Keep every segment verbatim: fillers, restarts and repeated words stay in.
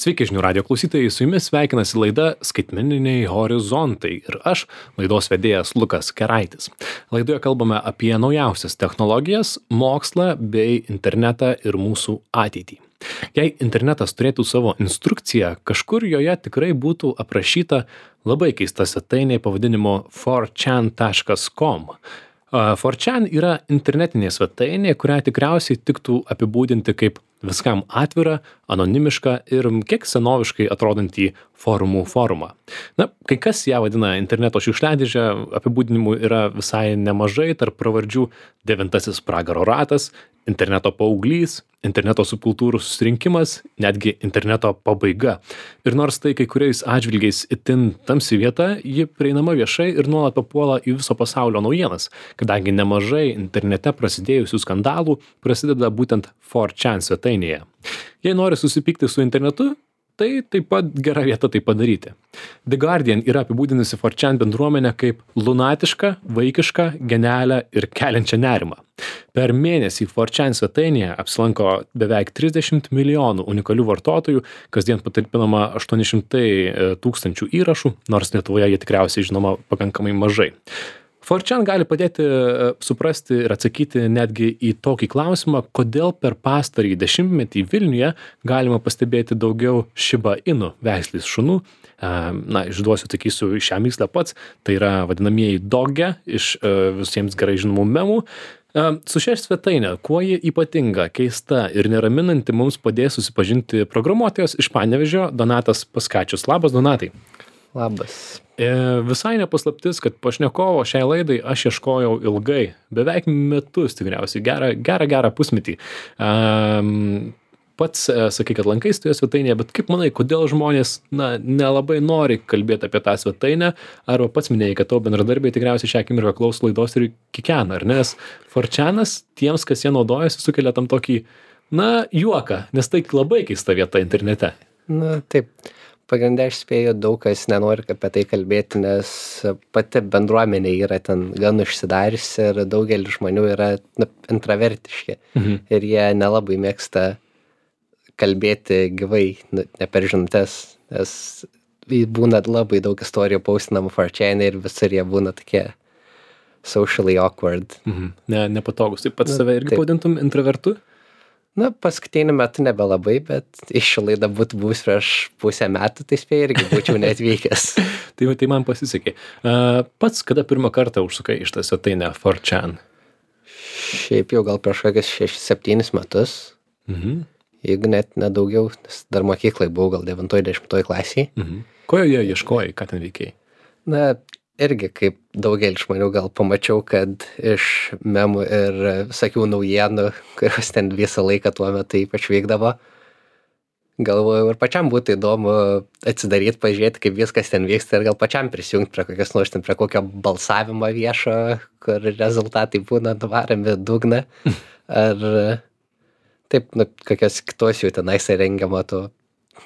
Sveiki žinių radijo klausytojai, su jumis sveikinasi laida Skaitmeniniai horizontai ir aš, laidos vedėjas Lukas Keraitis. Laidoje kalbame apie naujausias technologijas, mokslą bei internetą ir mūsų ateitį. Jei internetas turėtų savo instrukciją, kažkur joje tikrai būtų aprašyta labai keista svetainė pavadinimu four chan taškas com. four chan yra internetinė svetainė, kurią tikriausiai tiktų apibūdinti kaip viskam atvirą, anonimišką ir kiek senoviškai atrodantį forumų forumą. Na, kai kas ją vadina interneto šiukšliadėže, apibūdinimų yra visai nemažai, tarp pravardžių devintasis pragaro ratas, interneto paauglys, interneto subkultūrų susirinkimas, netgi interneto pabaiga. Ir nors tai kai kuriais atžvilgiais itin tamsi vieta, ji prieinama viešai ir nuolat papuola į viso pasaulio naujienas, kadangi nemažai internete prasidėjusių skandalų prasideda būtent four chan svetainėje. Jei nori susipykti su internetu, tai taip pat gera vieta tai padaryti. The Guardian yra apibūdinusi four chan bendruomenę kaip lunatišką, vaikišką, genialią ir keliančią nerimą. Per mėnesį four chan svetainėje apsilanko beveik trisdešimt milijonų unikalių vartotojų, kasdien patalpinama aštuoni šimtai tūkstančių įrašų, nors Lietuvoje jie tikriausiai žinoma pakankamai mažai. four chan gali padėti suprasti ir atsakyti netgi į tokį klausimą, kodėl per pastarąjį dešimtmetį Vilniuje galima pastebėti daugiau Shiba Inu veislės šunų. Na, išduosiu, sakysiu šią mįslę pats, tai yra vadinamieji doge iš visiems gerai žinomų memų. Su šia svetainė, kuo ji ypatinga, keista ir neraminanti, mums padės susipažinti programuotojas iš Panevėžio Donatas Paskačius. Labas, Donatai. Labas. E, visai nepaslaptis, kad pašnekovo šiai laidai aš ieškojau ilgai, beveik metus tikriausiai, gerą, gerą, gerą pusmetį. Um, pats e, sakai, kad lankais toje svetainėje, bet kaip manai, kodėl žmonės na, nelabai nori kalbėti apie tą svetainę, arba pats minėjai, kad tavo bendradarbiai tikriausiai šią akimirką klauso laidos ir kikena, ar ne? Nes four chanas tiems, kas jie naudojasi, sukelia tam tokį, na, juoką, nes tai labai keista vieta internete. Na, taip. Pagrindė aš spėju, daug kas nenori apie tai kalbėti, nes pati bendruomenė yra ten gan užsidariusi ir daugelis žmonių yra na, intravertiški. Mhm. Ir jie nelabai mėgsta kalbėti gyvai, nu, ne per žinutes, nes būna labai daug istorijų postinamų four chan ir visur jie būna tokie socially awkward. Mhm. Ne, nepatogus. Taip pat save irgi pavadintum intravertu? Na, paskutiniu metu nebelabai, bet iš šio laidą būtų buvus prieš pusę metų, tai spėjau irgi būčiau neatvykęs. tai, tai man pasisekė. Uh, pats kada pirmą kartą užsukai iš tą svetainę four chan? Šiaip jau gal prieš kokius šešis septynis metus. Mhm. Jeigu net nedaugiau, nes dar mokyklai buvau gal devintoj dešimtoj klasiai. Mhm. Ko joje ieškojai, ką ten veikiai? Na, irgi kaip daugelis žmonių gal pamačiau, kad iš memų ir visokių naujienų, kurios ten visą laiką tuo metu ypač vykdavo, galvojau ir pačiam būtų įdomu atsidaryti, pažiūrėti, kaip viskas ten vyksta ir gal pačiam prisijungti prie kokios nors ten prie kokio balsavimo viešo, kur rezultatai būna nuvaromi dugną, ar taip, nu, kokios kitos jų tenais rengiamo to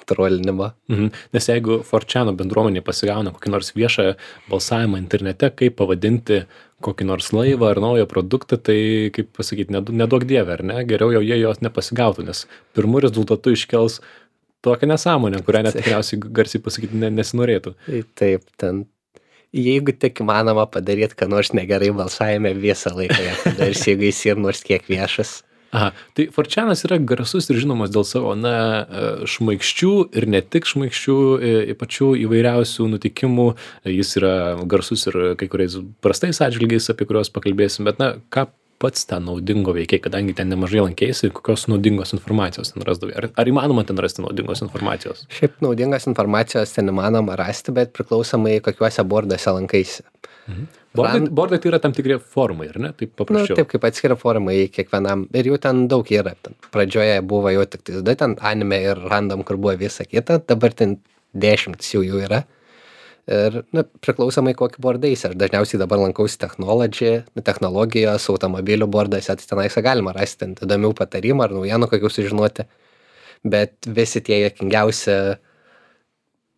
trolinimo. Mhm. Nes jeigu four chan bendruomenė pasigauna kokį nors viešą balsavimą internete, kaip pavadinti kokį nors laivą ar naują produktą, tai, kaip pasakyti, neduok dievę, ar ne? Geriau jau jie jos nepasigautų, nes pirmų rezultatų iškels tokią nesąmonę, kurią net tikriausiai garsiai pasakyti nesinorėtų. Taip, ten, jeigu tik įmanoma padaryti, ką nors negerai balsavime visą laiką, dar jeigu jis ir nors kiek viešas. Aha, tai four chanas yra garsus ir žinomas dėl savo, na, šmaikščių ir ne tik šmaikščių, pačių įvairiausių nutikimų. Jis yra garsus ir kai kuriais prastais atžvilgiais, apie kuriuos pakalbėsim, bet, na, ką pats ten naudingo veikiai, kadangi ten nemažai lankėsi, kokios naudingos informacijos ten rasdavai? Ar, ar įmanoma ten rasti naudingos informacijos? Šiaip naudingos informacijos ten įmanoma rasti, bet priklausomai kokiuose borduose lankaisi. Mhm. Bordai, bordai tai yra tam tikri forumai, ar ne? Taip paprasčiau. Nu, taip kaip atskiria forumai kiekvienam. Ir jų ten daug yra. Ten pradžioje buvo jau tik tais du, ten anime ir random, kur buvo visa kita. Dabar ten dešimtis jau jų yra. Ir nu, priklausomai kokį bordais. Aš dažniausiai dabar lankausi technology, technologijos, automobilių borduose. Tai tenais galima rasti ten įdomių patarimų ar naujienų kokių sužinoti. Bet visi tie juokingiausi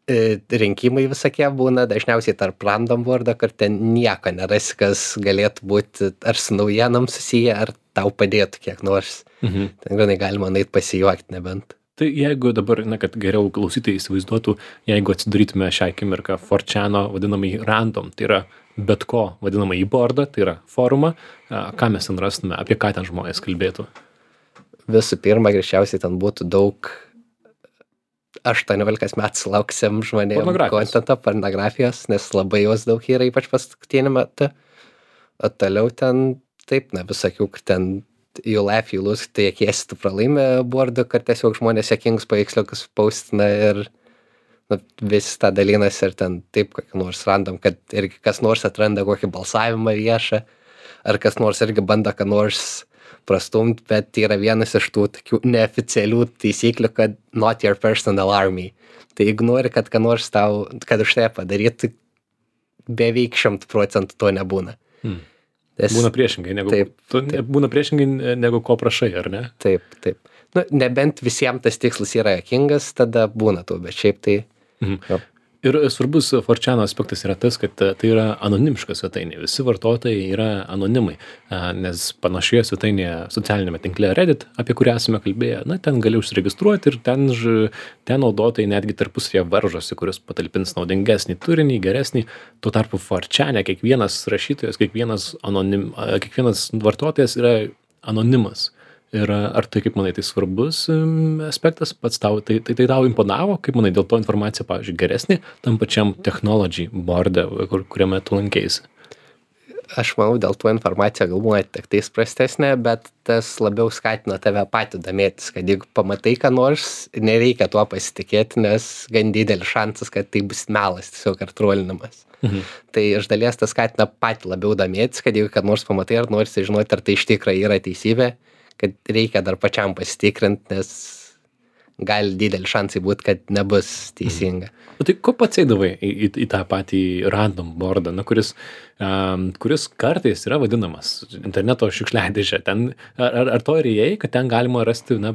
rinkimai visokie būna dažniausiai tarp random bordo, kur ten nieko nerasi, kas galėtų būti ar su naujienom susiję, ar tau padėtų kiek nors. Mhm. Ten granai galima nait pasijuokti nebent. Tai jeigu dabar, na, kad geriau klausytojai įsivaizduotų, jeigu atsidarytume šią akimirką four chano vadinamąjį random, tai yra bet ko vadinamąjį boardą, tai yra forumą, ką mes ten rastume, apie ką ten žmonės kalbėtų? Visų pirma, greičiausiai ten būtų daug aštuoniolikos metų sulauksim žmonėm kontento, pornografijos, nes labai jos daug yra, ypač paskutinį metą. O toliau ten, taip, na, visokių, kur ten you laugh, you lose, tai jėkiesi tu pralaimė boardą, kad tiesiog žmonės jėkingus paveiksliukus paustina ir nu, vis tą dalinasi ir ten taip kokį nors random, kad irgi kas nors atranda kokį balsavimą viešą, ar kas nors irgi bando ką nors prastumt, bet tai yra vienas iš tų tokių neoficialių taisyklių, kad not your personal army. Tai jeigu nori, kad ką nors tau, kad už tai padarytų, beveik šimtų procentų to nebūna. Hmm. Nes, būna priešingai, negu, taip, tu, taip. būna priešingai negu ko prašai, ar ne? Taip, taip. Nu, nebent visiems tas tikslas yra jokingas, tada būna to, bet šiaip tai... Mhm. Ir svarbus four chano aspektas yra tas, kad tai yra anonimiška svetainė. Visi vartotojai yra anonimai, nes panašioje svetainėje socialinėme tinkle Reddit, apie kurią esame kalbėję, na, ten gali užsiregistruoti ir ten, ten naudotojai netgi tarpusavyje varžosi, kuris patalpins naudingesnį turinį, geresnį. Tuo tarpu four chane kiekvienas rašytojas, kiekvienas, anonim, kiekvienas vartotojas yra anonimas. Ir ar tai, kaip manai, tai svarbus aspektas, pats tau, tai, tai, tai tau imponavo, kaip manai, dėl to informacija, pavyzdžiui, geresnė tam pačiam technology board'e, kur, kuriame tu lankėsi? Aš manau, dėl to informacija galbūt tik tais prastesnė, bet tas labiau skatina tave patį domėtis, kad jeigu pamatai ką nors, nereikia tuo pasitikėti, nes gan didelis šansas, kad tai bus melas, tiesiog ar trolinimas. Mhm. Tai iš dalies tas skatina patį labiau domėtis, kad jeigu ką nors pamatai, ar nori žinoti, ar tai iš tikrųjų yra teisybė, kad reikia dar pačiam pasitikrinti, nes gali didelį šansai būti, kad nebus teisinga. O tai ko pats eidavai į, į, į tą patį random boardą, na, kuris, um, kuris kartais yra vadinamas interneto šiukšliadėžė. Ten, ar, ar, ar to ir įėjai, kad ten galima rasti, na,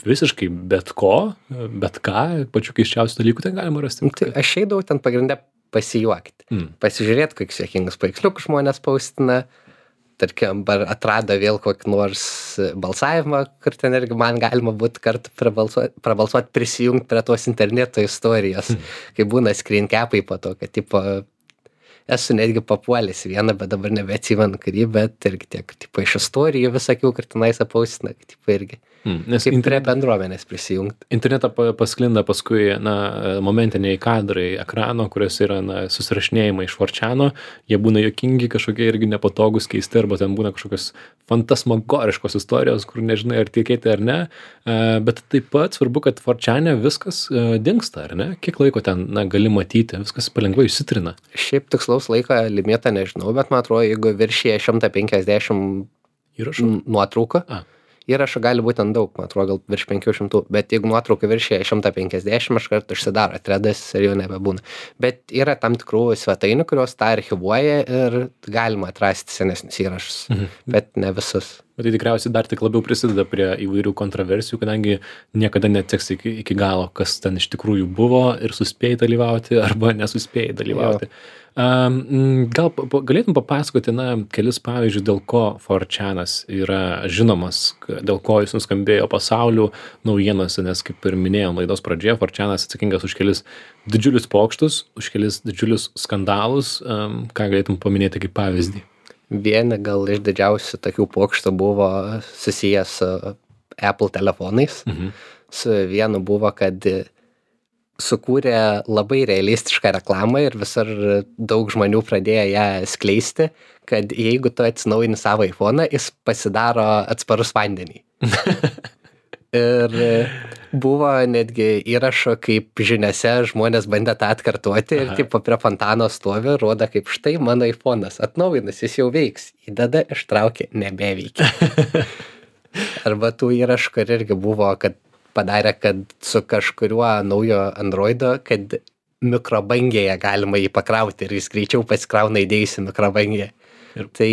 visiškai bet ko, bet ką, pačių keiščiausių dalykų ten galima rasti? Tai aš eidavau ten pagrindę pasijuokti, mm. pasižiūrėti, kokius juokingus paveiksliukus žmonės paustina, tarkim, atrado vėl kokį nors balsavimą, kur ten irgi man galima būtų kartu prabalsuoti, prabalsuoti prisijungti prie tos interneto istorijos, hmm. kai būna screen capai po to, kad tipo, esu netgi papuolęs vieną, bet dabar nebeatsimenu kurį, bet irgi tiek tipo, iš istorijų visokių, kur tenais apaustina, kad tipo, irgi hmm. Nes kaip internet... prie bendruomenės prisijungti. Internetą pasklinda paskui na, momentiniai kadrai ekrano, kurios yra na, susirašinėjimai iš four chano, jie būna juokingi, kažkokie irgi nepatogus, keisti, arba ten būna kažkokios fantasmagoriškos istorijos, kur nežinai, ar tikėti ar ne, bet taip pat svarbu, kad four chane viskas dingsta, ar ne? Kiek laiko ten na, gali matyti, viskas palengvai išsitrina. Šiaip tikslaus laiko limitą nežinau, bet man atrodo, jeigu viršyje šimtą penkiasdešimt įrašų nuotrauką, A. įrašų gali būti ant daug, man atrodo, gal virš penkių šimtų, bet jeigu nuotrauka viršyje šimtą penkiasdešimt, aš kartu užsidaro threadas ir jau nebebūna. Bet yra tam tikrų svetainių, kurios tą archivuoja ir galima atrasti senesnius įrašus, mhm. bet ne visus. Bet tai tikriausiai dar tik labiau prisideda prie įvairių kontroversijų, kadangi niekada neatseks iki, iki galo, kas ten iš tikrųjų buvo ir suspėjai dalyvauti arba nesuspėjai dalyvauti. Um, gal galėtum papasakoti, na, kelis pavyzdžius, dėl ko four chanas yra žinomas, dėl ko jis nuskambėjo pasaulių naujienose, nes kaip ir minėjom laidos pradžioje, four chanas atsakingas už kelis didžiulius pokštus, už kelis didžiulius skandalus, um, ką galėtum paminėti kaip pavyzdį? Vieni gal iš didžiausių tokių pokštų buvo susijęs su Apple telefonais. Mhm. Su vienu buvo, kad sukūrė labai realistišką reklamą ir visur daug žmonių pradėjo ją skleisti, kad jeigu tu atsinaujini savo iPhone'ą, jis pasidaro atsparus vandenį. Ir buvo netgi įrašo, kaip žiniose žmonės bandė tą atkartoti ir tipo prie fontano stovi, rodo kaip štai mano iPhone'as atnaujinus, jis jau veiks, įdeda, ištraukė, nebeveikia. Arba tų įrašų, kur irgi buvo, kad padarė, kad su kažkuriuo naujo Androido, kad mikrobangėje galima jį pakrauti ir jis greičiau pasikrauna įdėjusi mikrobangėje. Ir tai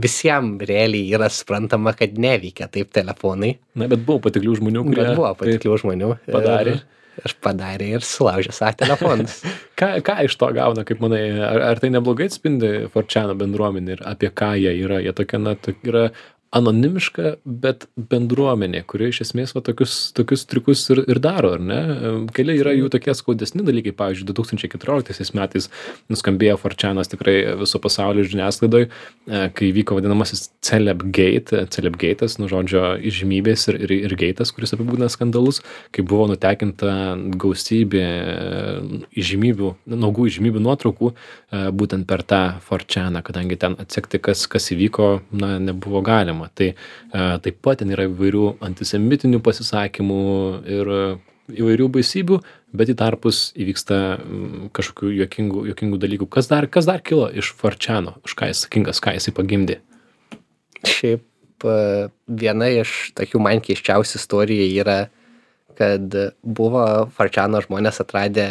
visiems realiai yra suprantama, kad neveikia taip telefonai. Na, bet buvo patiklių žmonių, kurie... Bet buvo patiklių žmonių. Padarė. Ir, ir padarė ir sulaužė savo telefonus. ką, ką iš to gauna, kaip manai, ar, ar tai neblogai atspindi four chano bendruomenį ir apie ką jie yra? Jie tokia, na, tokia yra anonimiška, bet bendruomenė, kuri iš esmės va tokius, tokius triukus ir, ir daro, ar ne? Keli yra jų tokie skaudesni dalykai, pavyzdžiui, du tūkstančiai keturioliktaisiais metais nuskambėjo four chanas tikrai viso pasaulio žiniasklaidoj, kai vyko vadinamasis Celebgate, Celebgate'as, nu žodžio, įžymybės ir, ir, ir geitas, kuris apibūdina skandalus, kai buvo nutekinta gausybė įžymybių, naugų įžymybių nuotraukų, būtent per tą four chaną, kadangi ten atsekti, kas, kas įvyko, na, nebuvo galima. Tai taip pat ten yra įvairių antisemitinių pasisakymų ir įvairių baisybių, bet į tarpus įvyksta kažkokių juokingų, juokingų dalykų. Kas dar, kas dar kilo iš four chano? Už ką jis sakingas, ką jisai pagimdė? Šiaip viena iš tokių man keisčiausių istorijų yra, kad buvo four chano žmonės atradę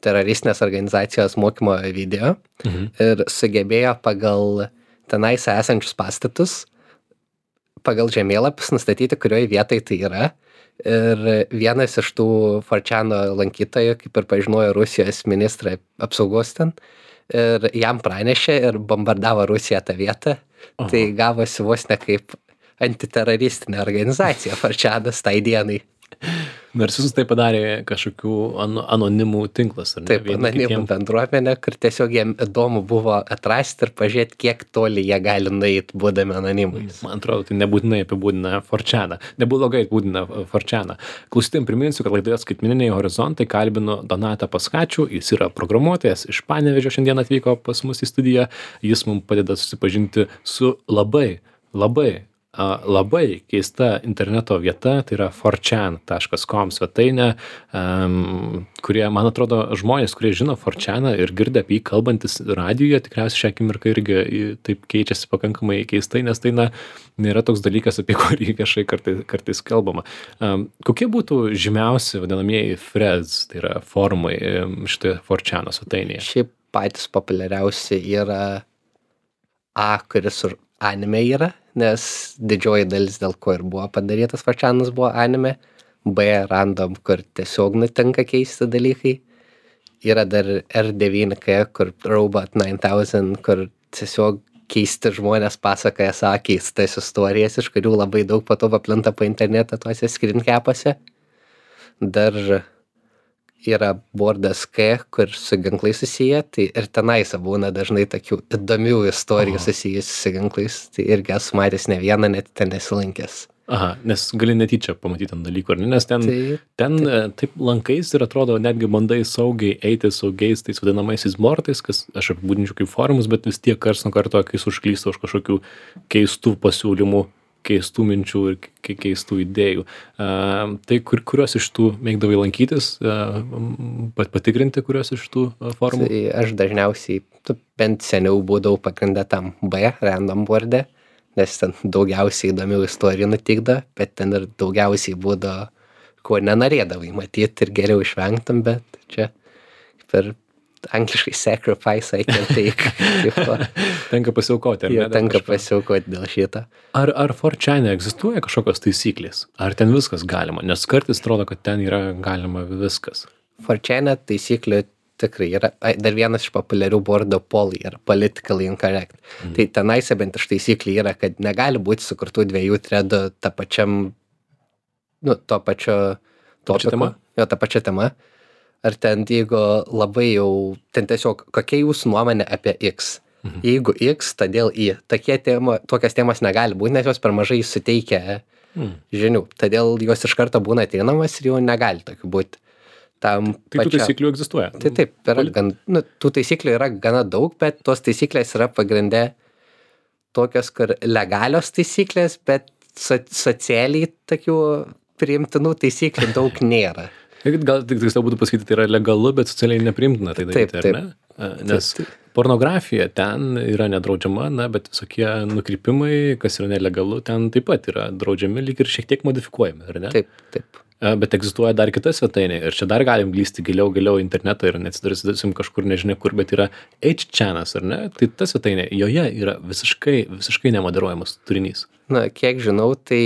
teroristinės organizacijos mokymo video mhm. ir sugebėjo pagal tenais esančius pastatus, pagal žemėlapius nustatyti, kurioje vietoje tai yra. Ir vienas iš tų four chano lankytojų, kaip ir pažinojo Rusijos ministrą apsaugos ten, ir jam pranešė ir bombardavo Rusiją tą vietą. Aha. Tai gavosi vos ne kaip antiteroristinė organizacija four chanas tai dienai. Nors visus tai padarė kažkokių an, anonimų tinklas, ar ne? Taip, anonimų kitiem... bendruomenė, kur tiesiog jiem įdomu buvo atrasti ir pažiūrėti, kiek toli jie gali nueiti, būdami anonimais. Man atrodo, tai nebūtinai apibūdina four chaną. Neblogai apibūdina four chaną. Klausytėm priminsiu, kad laidoje Skaitmeniniai horizontai kalbinu Donatą Paskačių. Jis yra programuotojas, iš Panevėžio šiandien atvyko pas mus į studiją. Jis mums padeda susipažinti su labai, labai labai keista interneto vieta, tai yra four chan taškas com svetainė, um, kurie, man atrodo, žmonės, kurie žino four chaną ir girdi apie jį kalbantis radijuje, tikriausiai šią akimirką irgi taip keičiasi pakankamai keistai, nes tai, na, nėra toks dalykas, apie kurį viešai kartais, kartais kalbama. Um, kokie būtų žymiausi vadinamieji threads, tai yra forumai šitoje four chano svetainėje? Šiaip patys populiariausi yra A, kuris ir anime yra, nes didžioji dalis, dėl ko ir buvo padarytas four chanas, buvo anime. B, random, kur tiesiog nutinka keisti dalykai. Yra dar R devyni K, kur Robot nine thousand, kur tiesiog keisti žmonės pasakoja savo keistas istorijas, iš kurių labai daug po to paplinta po internetą tuose screencapuose. Dar yra Boardas K, kur su ginklais susiję, tai ir tenais būna dažnai tokių įdomių istorijų susijusių su ginklais, tai irgi esu matęs ne vieną, net ten nesilankęs. Aha, nes gali netyčia pamatyti ant dalykų, ar ne? Nes ten, taip, ten taip. taip lankais ir atrodo netgi bandai saugiai eiti saugiais tais vadinamaisiais bortais, kas aš apibūdinčiau kaip forumus, bet vis tiek kars nuo karto, kai užklysta už kažkokių keistų pasiūlymų, keistų minčių ir keistų idėjų. Uh, tai kur, kuriuos iš tų mėgdavai lankytis, uh, patikrinti kuriuos iš tų uh, forumų? Tai aš dažniausiai, tu bent seniau būdavau pagrindę tam B, random board'e, nes ten daugiausiai įdomių istorijų nutikda, bet ten ir daugiausiai būdavo, ko nenorėdavai matyti ir geriau išvengtum, bet čia per angliškai sacrifice, I can take. Tenka pasiaukoti, ar ne? Jo, tenka pasiaukoti dėl šito. Ar, ar four chane egzistuoja kažkokios taisyklės? Ar ten viskas galima? Nes kartais atrodo, kad ten yra galima viskas. four chane taisyklių tikrai yra. Dar vienas iš populiarių boardo poly yra politically incorrect. Mm. Tai tenais bent iš taisyklių yra, kad negali būti sukurtų dviejų threadų tą pačiam, nu, to pačio topiku. Jo, tą pačią temą. Ar ten, jeigu labai jau, ten tiesiog, kokia jūsų nuomonė apie X? Mhm. Jeigu X, todėl Y. Tokie tema, tokias temas negali būti, nes jos per mažai suteikia mhm. žinių. Todėl jos iš karto būna ateinamas ir jau negali tokių būti. Tam tai pačia... tų taisyklių egzistuoja? Tai taip, yra gan, nu, tų taisyklių yra gana daug, bet tos taisyklės yra pagrinde tokios, kur legalios taisyklės, bet so, socialiai tokių priimtinų taisyklių daug nėra. Gal tik tiksliau būtų pasakyti, tai yra legalu, bet socialiai nepriimtina tai daryti, taip, taip. Ar ne? Nes taip, taip. Pornografija ten yra nedraudžiama, na, bet visokie nukrypimai, kas yra nelegalu, ten taip pat yra draudžiami, lyg ir šiek tiek modifikuojami, ar ne? Taip, taip. Bet egzistuoja dar kita svetainė ir čia dar galim glysti giliau, giliau internetą ir neatsidarysim kažkur nežinia kur, bet yra eight chanas, ar ne? Tai ta svetainė, joje yra visiškai, visiškai nemoderuojamas turinys. Na, kiek žinau, tai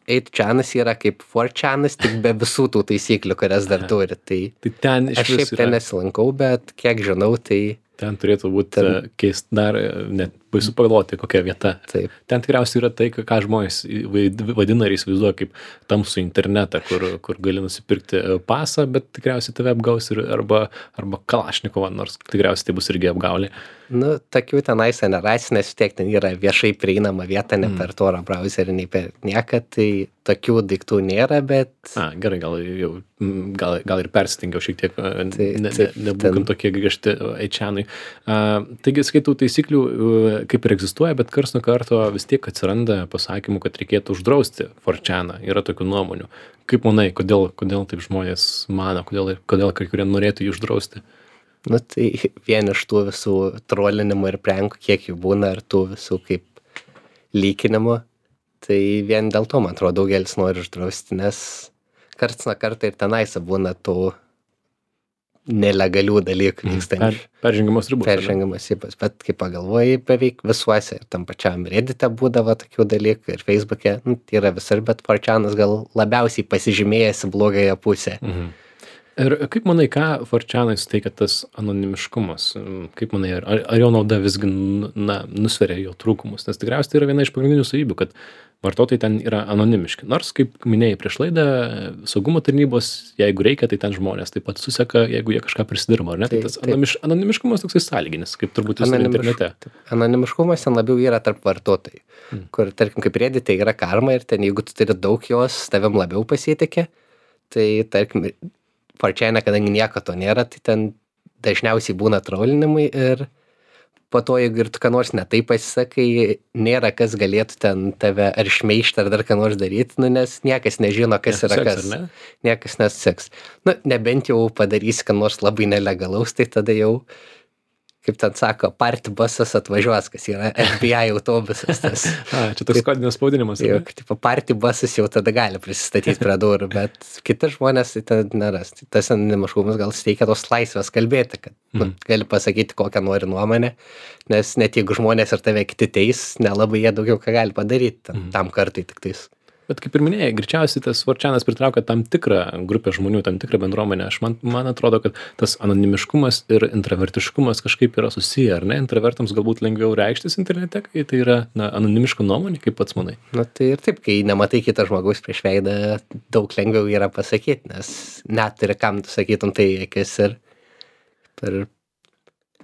eight chanas yra kaip four chanas, tik be visų tų taisyklių, kurias dar turi. Tai, tai ten iš aš šiaip ten yra... nesilankau, bet kiek žinau, tai Ten turėtų būti Ten- keist dar e, net baisu pagalvoti, kokia vieta. Taip. Ten tikriausiai yra tai, ką žmonės vaid- vadina ir įsivaizduoja kaip tamsų internetą, kur, kur gali nusipirkti e, pasą, bet tikriausiai tave apgaus ir arba, arba Kalašnikovą, nors tikriausiai tai bus irgi apgaulė. Nu, tokių tenais generacinės vis tiek ten yra viešai prieinama vieta, ne per Tor browserį, nei per nieką, tai tokių daiktų nėra, bet A, gerai, gal jau, m, gal, gal ir persitingiau šiek tiek, e, Tai- ne, ne, taip, nebūkim ten- tokie griežti eičianai. Taigi, skaitų taisyklių e, kaip ir egzistuoja, bet kars nuo karto vis tiek atsiranda pasakymų, kad reikėtų uždrausti four chaną. Yra tokių nuomonių. Kaip manai, kodėl, kodėl taip žmonės mano, kodėl, kodėl kai kurie norėtų jį uždrausti? nu, tai vien iš tų visų trolinimų ir prenkų, kiek jų būna, ir tų visų kaip lykinimų, tai vien dėl to, man atrodo, daugelis nori uždrausti, nes karts nuo karto ir tenais būna tų nelegalių dalykų vykstančių. Per, peržengiamos ribos. ar ne? Peržengiamas ribas, bet kai pagalvoji, beveik visuose, ir tam pačiam Reddite būdavo tokių dalykų, ir Facebook'e, nu, tai yra visur, bet four chanas gal labiausiai pasižymėjęs į blogąją pusę. Mhm. Ir kaip manai, ką four chanai suteikia tas anonimiškumas? Kaip manai, ar, ar jo nauda visgi na, nusveria jo trūkumus? Nes tikriausiai tai yra viena iš pagrindinių savybių, kad vartotojai ten yra anonimiški. Nors, kaip minėjai prieš laidą, saugumo tarnybos, jeigu reikia, tai ten žmonės taip pat suseka, jeigu jie kažką prisidirba, ar ne? Tai Taip, tas taip. anonimiš, anonimiškumas toksai sąlyginis, kaip turbūt visur Anonimiš- internete. taip, Anonimiškumas ten labiau yra tarp vartotojų, Mm. kur, tarkim, kaip Reddite yra karma ir ten, jeigu tu turi daug jos, tavim labiau pasitikė, tai, tarkim, four chane, kadangi nieko to nėra, tai ten dažniausiai būna trolinimai ir po to, jeigu ir tu ką nors netai pasisakai, nėra kas galėtų ten tave ar šmeižti ar dar ką nors daryti, nu, nes niekas nežino, kas yra Nesiseks, kas. ar ne? Niekas nesiseks. Nu, nebent jau padarysi, ką nors labai nelegalaus, tai tada jau, kaip ten sako, party busas atvažiuos, kas yra F B I autobusas. Tas, A, čia toks kodinis spaudinimas. ar jau, ne? tipo, party busas jau tada gali prisistatyti prie durų, bet kiti žmonės tai ten neras. Tai tas anonimiškumas gal suteikia tos laisvės kalbėti, kad nu, gali pasakyti, kokią nori nuomonę, nes net jeigu žmonės ir tave kiti teis, nelabai jie daugiau ką gali padaryti ten, tam kartai tik tais. Bet kaip ir minėjai, greičiausiai tas four chanas pritraukia tam tikrą grupę žmonių, tam tikrą bendruomenę. Aš man, man atrodo, kad tas anonimiškumas ir intravertiškumas kažkaip yra susiję, ar ne? Intravertams galbūt lengviau reikštis internete, kai tai yra na, anonimiška nuomonė, kaip pats manai. Na tai ir taip, kai nematai kito žmogaus prieš veidą, daug lengviau yra pasakyti, nes net ir kam tu sakytum tai į akis ir per...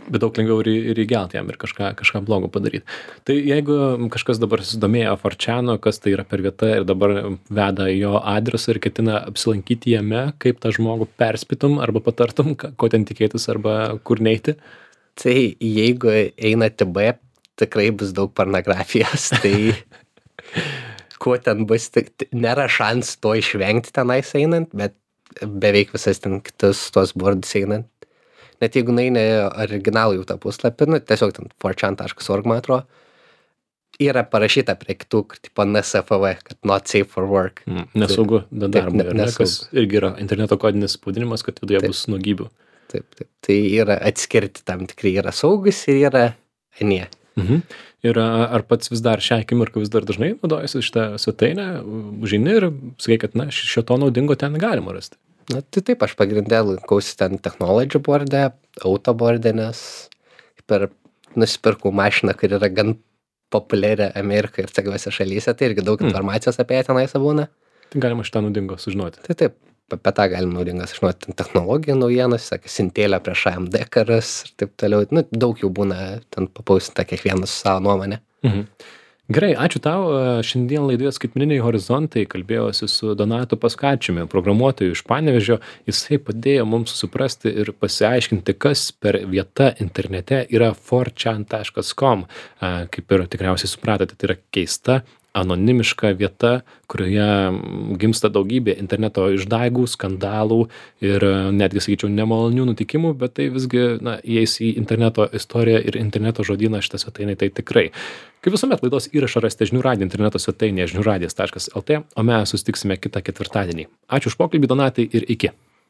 Bet daug lengviau ir, ir įgelti jam ir kažką, kažką blogo padaryti. Tai jeigu kažkas dabar susidomėjo four chanu, kas tai yra per vieta ir dabar veda jo adresą ir ketina apsilankyti jame, kaip tą žmogų perspėtum arba patartum, ką- ko ten tikėtis arba kur neiti? Tai jeigu einate B, tikrai bus daug pornografijos, tai kuo ten bus, tik t- nėra šans to išvengti tenais einant, bet beveik visas ten kitus tos bordus einant. Net jeigu neini originalų jau tą puslapį, nu, tiesiog ten four chan taškas org, man atrodo, yra parašyta prie kitų, kur tipo N S F W, kad not safe for work. Mm, nesaugu da- Taip, darbui, ne- ar ne? nesaugu. Kas irgi yra interneto kodinis spaudinimas, kad viduje Taip. bus nuogybių. Taip, taip. Tai yra atskirti tam tikrai, yra saugus ir yra anie. Mhm. Ir a, ar pats vis dar šią akimirką vis dar dažnai naudojasi šitą svetainę, užeini ir sakai, kad na, šio to naudingo ten galima rasti. Na, tai taip, aš pagrindę lankausi ten technology board'e, auto board'e, nes per nusipirkau mašiną, kur yra gan populiari Amerikoje ir tokiuose šalyse, tai irgi daug Mm. informacijos apie ją tenais būna. Tai galima šitą naudingo sužinoti. Tai taip, apie tą galim naudingas žinoti, ten technologijų naujienas, sakė, sintėlę prieš A M D karas ir taip toliau. Nu, daug jų būna ten papaustinta kiekvienas su savo nuomonę. Mhm. Gerai, ačiū tau. Šiandien laidoje Skaitmeniniai horizontai kalbėjausi su Donatu Paskačiumi, programuotoju iš Panevėžio. Jisai padėjo mums suprasti ir pasiaiškinti, kas per vieta internete yra four chan taškas com. Kaip ir tikriausiai supratote, tai yra keista, anonimiška vieta, kurioje gimsta daugybė interneto išdaigų, skandalų ir netgi, sakyčiau, nemalonių nutikimų, bet tai visgi, na, įeis į interneto istoriją ir interneto žodyną šitą svetainę, tai tikrai. Kaip visuomet, laidos įrašą rasite žinių radijo interneto svetainėje žinių radijas taškas L T, o mes susitiksime kitą ketvirtadienį. Ačiū už pokalbį, Donatai, ir iki.